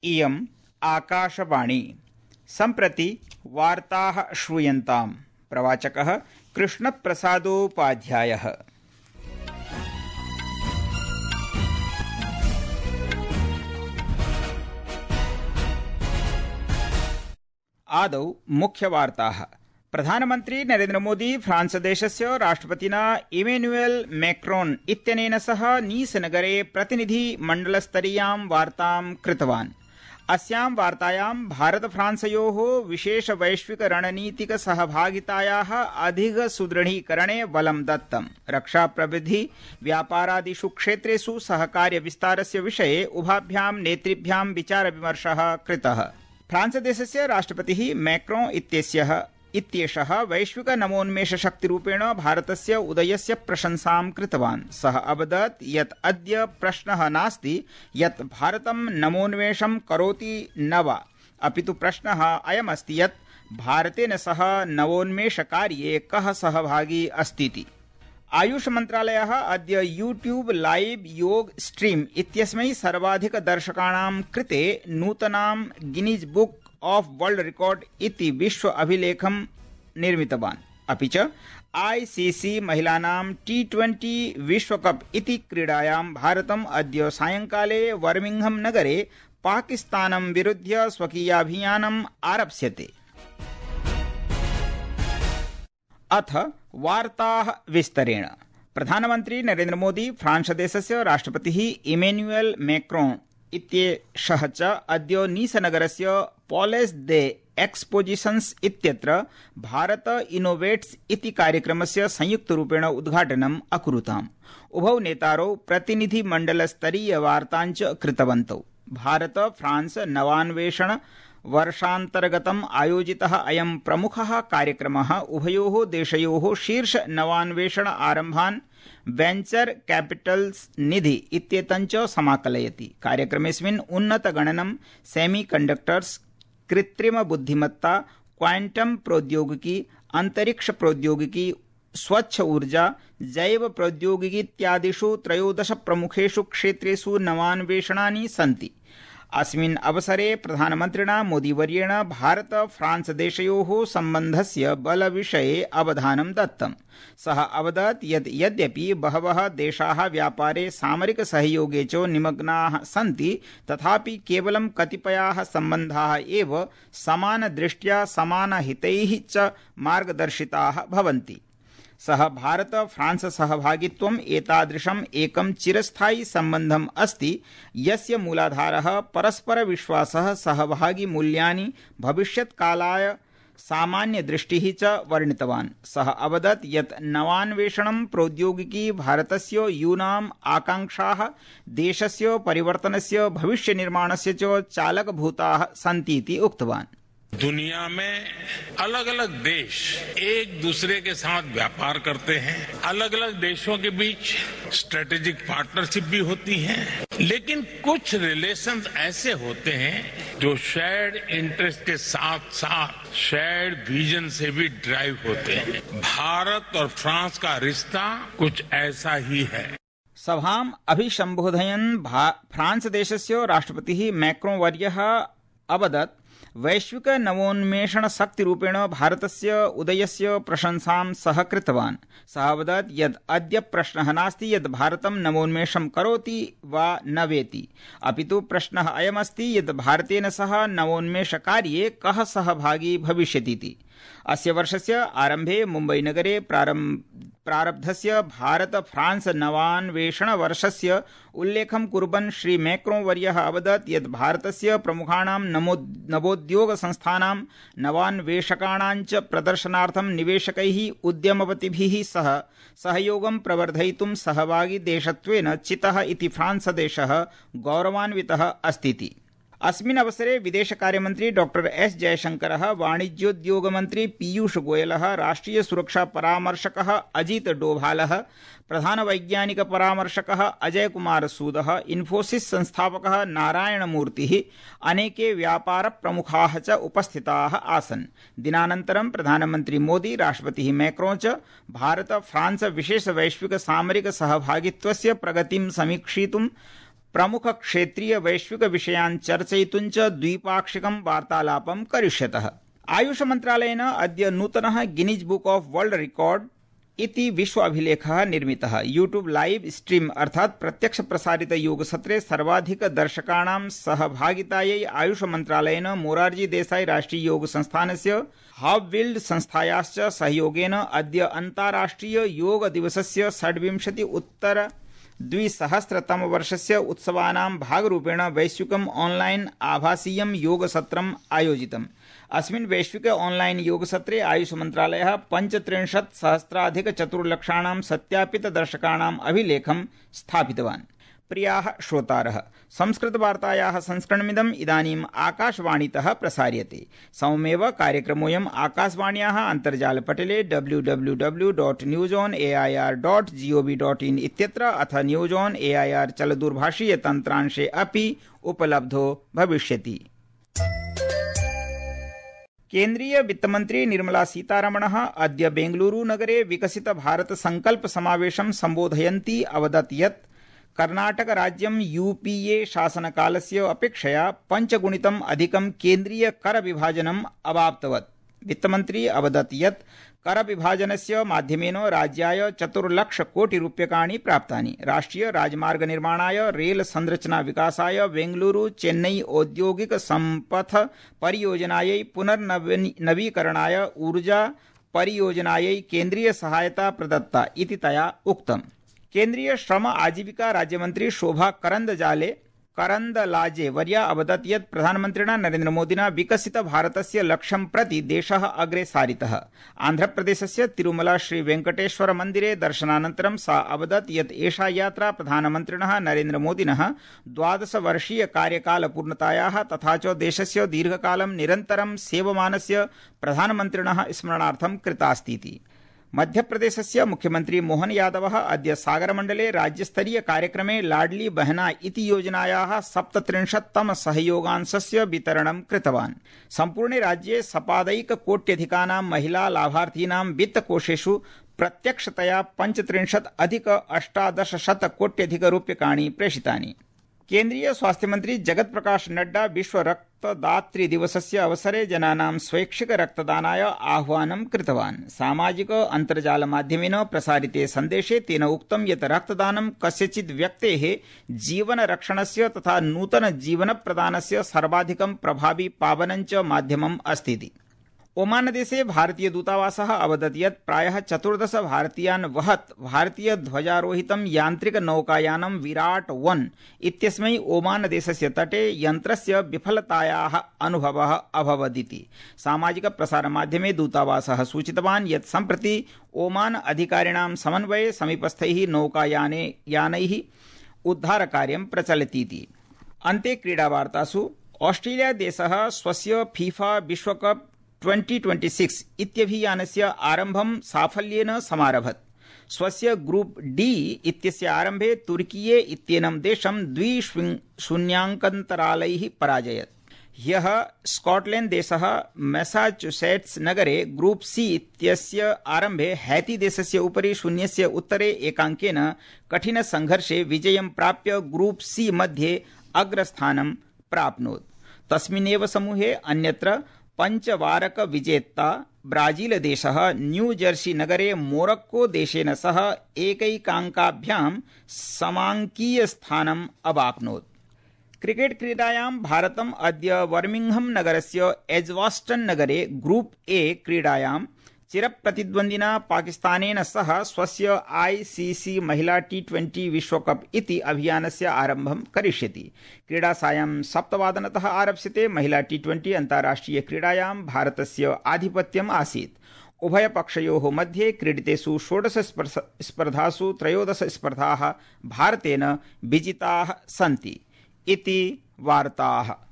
इयम् आकाशवाणी। सम्प्रति वार्ताः श्रूयन्ताम्। प्रवाचकः कृष्णप्रसादोपाध्यायः। आदौ मुख्यवार्ताः। प्रधानमन्त्री नरेन्द्र मोदी फ्रांस देशस्य राष्ट्रपतिना इमैनुएल मैक्रोन् इत्यनेन सह नीसनगरे प्रतिनिधिमण्डलस्तरीयां वार्तां कृतवान्। अस्यां वार्तायां भारत फ्रांसयोः विशेष वैश्विक रणनीतिक सहभागितायाः अधिक सुदृढीकरणे बलं दत्तम्। रक्षा प्रविधि व्यापारादिषु क्षेत्रेषु सहकार्य विस्तारस्य विषये उभाभ्यां नेतृभ्यां विचार विमर्शः कृतः। फ्रांस देशस्य राष्ट्रपतिः मैक्रोन् इत्येषः वैश्विक नवोन्मेष शक्तिरूपेण भारतस्य उदयस्य प्रशंसां कृतवान्। सः अवदत् यत् अद्य प्रश्नः नास्ति यत् भारतं नवोन्मेषं करोति न वा, अपितु प्रश्नः अयमस्ति यत् भारतेन सह नवोन्मेषकार्ये कः सहभागी अस्तीति। आयुष मन्त्रालयः अद्य यूट्यूब लाइव योग स्ट्रीम इत्यस्मै सर्वाधिकदर्शकाणां कृते नूतनां Guinness book of world record इति विश्व अभिलेखं निर्मितवान्। अपि च ICC महिलानां T20 विश्वकप इति क्रीडायां भारतम् अद्य सायंकाले बर्मिंघम नगरे पाकिस्तानं विरुध्य स्वकीयाभियानम् आरप्स्यते। अथ वार्ताः विस्तरेण। प्रधानमन्त्री नरेन्द्र मोदी फ्रांस देशस्य राष्ट्रपतिः इमैनुएल मैक्रोन् इत्येषः च अद्य नीसनगरस्य पॉलेस् दे एक्सपोजिशन्स् इत्यत्र भारत इनोवेट्स् इति कार्यक्रमस्य संयुक्तरूपेण उद्घाटनम् अकुरुताम्। उभौ नेतारौ प्रतिनिधिमण्डलस्तरीयवार्तां च कृतवन्तौ। भारत फ्रांस नवान्वेषण वर्षान्तर्गतम् आयोजितः अयं प्रमुखः कार्यक्रमः उभयोः देशयोः शीर्ष नवान्वेषण आरम्भान् वेञ्चर कैपिटल्स् निधि इत्येतञ्च समाकलयति। कार्यक्रमेऽस्मिन् उन्नतगणनं, सेमीकण्डक्टर्स्, कृत्रिम बुद्धिमत्ता, क्वांटम प्रौद्योगिकी, अंतरिक्ष प्रौद्योगिकी, स्वच्छ ऊर्जा, जैव प्रौद्योगिकी इत्यादिषु 13 प्रमुखेषु क्षेत्रेषु नवान्वेषणानि सन्ति। अस्मिन् अवसरे प्रधानमन्त्रिणा मोदीवर्येण भारत फ्रांस देशयोः सम्बन्धस्य बलविषये अवधानं दत्तम्। सः अवदत् यत् यद्यपि बहवः देशाः व्यापारे सामरिक सहयोगे च निमग्नाः सन्ति, तथापि केवलं कतिपयाः सम्बन्धाः एव समानदृष्ट्या समानहितैः च मार्गदर्शिताः भवन्ति। सः भारत फ्रांस सहभागित्वम् एतादृशम् एकं चिरस्थायि सम्बन्धम् अस्ति यस्य मूलाधारः परस्पर विश्वासः, सहभागी मूल्यानि, भविष्यत्कालाय सामान्यदृष्टिः च वर्णितवान्। सः अवदत् यत् नवान्वेषणं प्रौद्योगिकी भारतस्य यूनाम् आकाङ्क्षाः, देशस्य परिवर्तनस्य, भविष्यनिर्माणस्य च चालकभूताः सन्तीति उक्तवान्। दुनिया में अलग अलग देश एक दूसरे के साथ व्यापार करते हैं, अलग अलग देशों के बीच स्ट्रेटेजिक पार्टनरशिप भी होती है, लेकिन कुछ रिलेशंस ऐसे होते हैं जो शेयर्ड इंटरेस्ट के साथ साथ शेयर्ड विजन से भी ड्राइव होते हैं। भारत और फ्रांस का रिश्ता कुछ ऐसा ही है। सभाम् अभिसम्बोधयन् फ्रांस देशस्य राष्ट्रपतिः मैक्रोन् वर्यः अवदत् वैश्विक नवोन्मेषण शक्तिरूपेण भारतस्य उदयस्य प्रशंसां सः कृतवान्। सः अवदत् यत् अद्य प्रश्नः नास्ति यत् भारतं नवोन्मेषं करोति वा न वेति, अपितु प्रश्नः अयमस्ति यत् भारतेन सह नवोन्मेषकार्ये कः सहभागी भविष्यतीति। अस्य वर्षस्य आरम्भे मुम्बईनगरे प्रारब्धस्य भारत फ्रांस नवान्वेषण वर्षस्य उल्लेखं कुर्वन् श्री मैक्रोन् वर्यः अवदत् यत् भारतस्य प्रमुखाणां नवोद्योग संस्थानां, नवान्वेषकाणां च प्रदर्शनार्थं निवेशकैः, उद्यमपतिभिः सह सहयोगं प्रवर्धयितुं सहभागी देशत्वेन चितः इति फ्रांस देशः गौरवान्वितः अस्तीति। अस्मिन् अवसरे विदेशकार्यमन्त्री डॉक्टर एस जयशंकरः, वाणिज्योद्योगमन्त्री पीयूष गोयलः, राष्ट्रिय सुरक्षा परामर्शकः अजित डोभालः, प्रधान वैज्ञानिक परामर्शकः अजय कुमार सूदः, इन्फोसिस संस्थापकः नारायण मूर्तिः, अनेके व्यापार प्रमुखाः च उपस्थिताः आसन्। दिनानन्तरं प्रधानमन्त्री मोदी, राष्ट्रपतिः मैक्रोन् च भारत फ्रांस विशेष वैश्विक सामरिक सहभागित्वस्य प्रगतिं समीक्षितुं प्रमुख क्षेत्रीय वैश्विक विषयान् चर्चयितुं च द्विपाक्षिकं वार्तालापं करिष्यतः। आयुष मन्त्रालयेन अद्य नूतनः Guinness book of world record इति विश्व अभिलेखः निर्मितः। यूट्यूब लाइव स्ट्रीम अर्थात् प्रत्यक्ष प्रसारित योग सत्रे सर्वाधिक दर्शकाणां सहभागितायै आयुष मन्त्रालयेन मोरारजी देसाई राष्ट्रीय योग संस्थानस्य हावविल्ड संस्थायाश्च सहयोगेन अद्य अन्ताराष्ट्रिय योग दिवसस्य 26 उत्तर 2000 वर्षस्य उत्सवानां भागरूपेण वैश्विकम् ऑनलाइन आभासीयं योगसत्रम् आयोजितम्। अस्मिन् वैश्विक ऑनलाइन योगसत्रे आयुष मन्त्रालयः 35,000,400 सत्यापित दर्शकाणाम् अभिलेखं स्थापितवान्। प्रियाः श्रोतारः, संस्कृतवार्तायाः संस्करणमिदम् इदानीम् आकाशवाणीतः प्रसार्यते। सममेव कार्यक्रमोऽयम् आकाशवाण्याः अन्तर्जालपटले www.newsonair.gov.in इत्यत्र अथ न्यूज ऑन एआईआर चलदूरभाषीय तन्त्रांशे अपि उपलब्धो भविष्यति। केन्द्रीय वित्तमन्त्री निर्मला सीतारमणः अद्य बेंगलुरू नगरे विकसित भारत संकल्प समावेशं सम्बोधयन्ती अवदत् यत् कर्णाटक राज्यं यूपीए शासनकालस्य अपेक्षया 5 गुणितम् अधिकं केन्द्रीय कर विभाजनम् अवाप्तवत्। वित्तमन्त्री अवदत् यत् कर विभाजनस्य माध्यमेन राज्याय 4 लाख कोटि रूप्यकाणि प्राप्तानि। राष्ट्रिय राजमार्ग निर्माणाय, रेल संरचना विकासाय, बेंगलुरू चेन्नई औद्योगिक संपथ परियोजनायै, पुनर्नवीकरणाय, ऊर्जा परियोजनायै केन्द्रीय सहायता प्रदत्ता इति तया उक्तम्। केन्द्रीय श्रम आजीविका राज्यमन्त्री शोभा करन्दलाजे वर्या अवदत् यत् प्रधानमन्त्रिणा नरेन्द्र मोदिना विकसित भारतस्य लक्ष्यं प्रति देशः अग्रे सारितः। आन्ध्रप्रदेशस्य तिरुमला श्री वेंकटेश्वर मन्दिरे दर्शनानन्तरं सा अवदत् यत् एषा यात्रा प्रधानमन्त्रिणः नरेन्द्र मोदिनः 12 वर्षीय कार्यकालपूर्णतायाः तथा च देशस्य दीर्घकालं निरन्तरं सेवमानस्य प्रधानमन्त्रिणः स्मरणार्थं कृतास्तीति। मध्यप्रदेशस्य मुख्यमन्त्री मोहन यादवः अद्य सागरमण्डले राज्यस्तरीय कार्यक्रमे लाडली बहना इति योजनायाः 37तम सहयोगांशस्य वितरणं कृतवान्। सम्पूर्णे राज्ये सपादैककोट्यधिकानां महिला लाभार्थीनां वित्तकोषेषु प्रत्यक्षतया 35,अधिक-1800 कोट्यधिकरूप्यकाणि प्रेषितानि। केन्द्रीय स्वास्थ्य मंत्री जगत प्रकाश नड्डा विश्व रक्तदातृ दिवसस्य अवसरे जनानां स्वैच्छिक रक्तदानाय आह्वानं कृतवान्। सामाजिक अन्तर्जाल माध्यमेन प्रसारिते सन्देशे तेन उक्तं यत् रक्तदानं कस्यचित् व्यक्तेः जीवन रक्षणस्य तथा नूतन जीवन प्रदानस्य सर्वाधिकं प्रभावी पावनं च माध्यमम् अस्ति। ओमान देशे भारतीय दूतावासः अवदत् यत् प्रायः 14 भारतीयान् वहत् भारतीय ध्वजारोहितं यान्त्रिक नौकायानं विराट 1 इत्यस्मै ओमान देशस्य तटे यन्त्रस्य विफलतायाः अनुभवः अभवदिति। सामाजिक प्रसारमाध्यमे दूतावासः सूचितवान् यत् सम्प्रति ओमान अधिकारिणां समन्वये समीपस्थैः नौकायानैः उद्धारकार्यं प्रचलतीति। अन्ते क्रीडावार्तासु ऑस्ट्रेलिया देशः स्वस्य फीफा विश्वकप 2026 इत्यभियानस्य आरम्भं साफल्येन समारभत। स्वस्य ग्रुप डी इत्यस्य आरम्भे तुर्कीये इत्येनं देशं 2-0 पराजयत्। ह्यः स्कॉटलैंड देशः मैसाचुसेट्स नगरे ग्रुप सी इत्यस्य आरम्भे हैती देशस्य उपरि 0-1 कठिन संघर्षे विजयं प्राप्य ग्रुप सी मध्ये अग्रस्थानं प्राप्नोत्। तस्मिन्नेव समूहे अन्यत्र पंचवारक विजेता ब्राजील देशः न्यू जर्सी नगरे मोरक्को देशेन सह एकैकाङ्काभ्यां समाङ्कीय स्थानम् अवाप्नोत्। क्रिकेट क्रीडायां भारतम् अद्य बर्मिंघम नगरस्य एज्वास्टन नगरे ग्रुप ए क्रीडायां चिरप्रतिद्वन्द्विना पाकिस्तानेन सह स्वस्य आईसीसी महिला T20 विश्वकप इति अभियानस्य आरम्भं करिष्यति। क्रीडा सायं 7:00 आरप्स्यते। महिला T20 अन्ताराष्ट्रिय क्रीडायां भारतस्य आधिपत्यम् आसीत्। उभयपक्षयोः मध्ये क्रीडितेषु 16 स्पर्धासु 13 स्पर्धाः भारतेन विजिताः सन्ति इति वार्ताः।